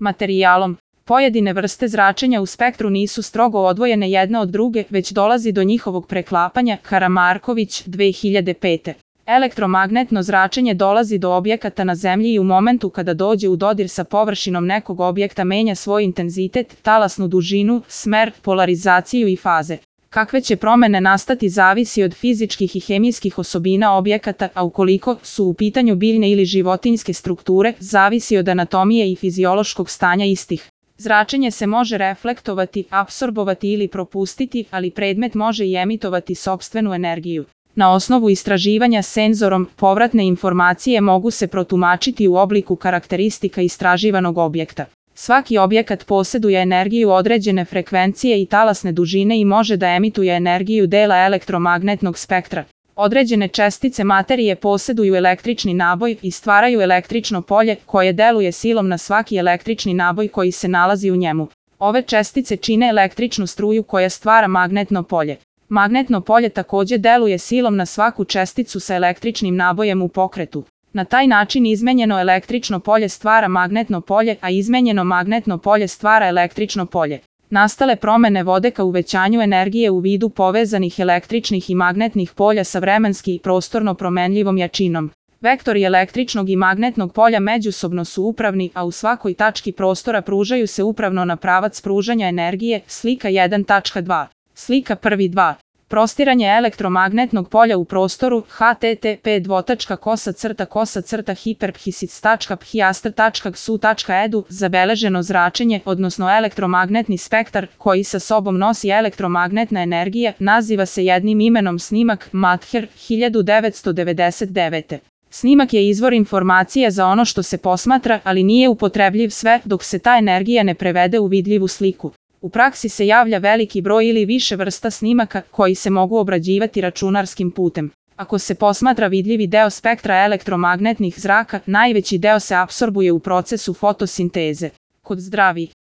Materijalom. Pojedine vrste zračenja u spektru nisu strogo odvojene jedna od druge, već dolazi do njihovog preklapanja. Karamarković, 2005. Elektromagnetno zračenje dolazi do objekata na Zemlji i u momentu kada dođe u dodir sa površinom nekog objekta menja svoj intenzitet, talasnu dužinu, smer, polarizaciju i faze. Kakve će promene nastati zavisi od fizičkih i hemijskih osobina objekata, a ukoliko su u pitanju biljne ili životinjske strukture, zavisi od anatomije i fiziološkog stanja istih. Zračenje se može reflektovati, apsorbovati ili propustiti, ali predmet može i emitovati sopstvenu energiju. Na osnovu istraživanja senzorom, povratne informacije mogu se protumačiti u obliku karakteristika istraživanog objekta. Svaki objekat posjeduje energiju određene frekvencije i talasne dužine i može da emituje energiju dela elektromagnetnog spektra. Određene čestice materije posjeduju električni naboj i stvaraju električno polje koje deluje silom na svaki električni naboj koji se nalazi u njemu. Ove čestice čine električnu struju koja stvara magnetno polje. Magnetno polje također deluje silom na svaku česticu sa električnim nabojem u pokretu. Na taj način izmenjeno električno polje stvara magnetno polje, a izmenjeno magnetno polje stvara električno polje. Nastale promene vode ka uvećanju energije u vidu povezanih električnih i magnetnih polja sa vremenski i prostorno promenljivom jačinom. Vektori električnog i magnetnog polja međusobno su upravni, a u svakoj tački prostora pružaju se upravno na pravac pružanja energije. Slika 1.2. Slika 1.2. Prostiranje elektromagnetnog polja u prostoru. http://hyperphysics.hiastr.xu.edu zabeleženo zračenje, odnosno elektromagnetni spektar, koji sa sobom nosi elektromagnetna energija, naziva se jednim imenom snimak. Mather, 1999. Snimak je izvor informacije za ono što se posmatra, ali nije upotrebljiv sve dok se ta energija ne prevede u vidljivu sliku. U praksi se javlja veliki broj ili više vrsta snimaka koji se mogu obrađivati računarskim putem. Ako se posmatra vidljivi deo spektra elektromagnetnih zraka, najveći deo se apsorbuje u procesu fotosinteze. Kod zdravih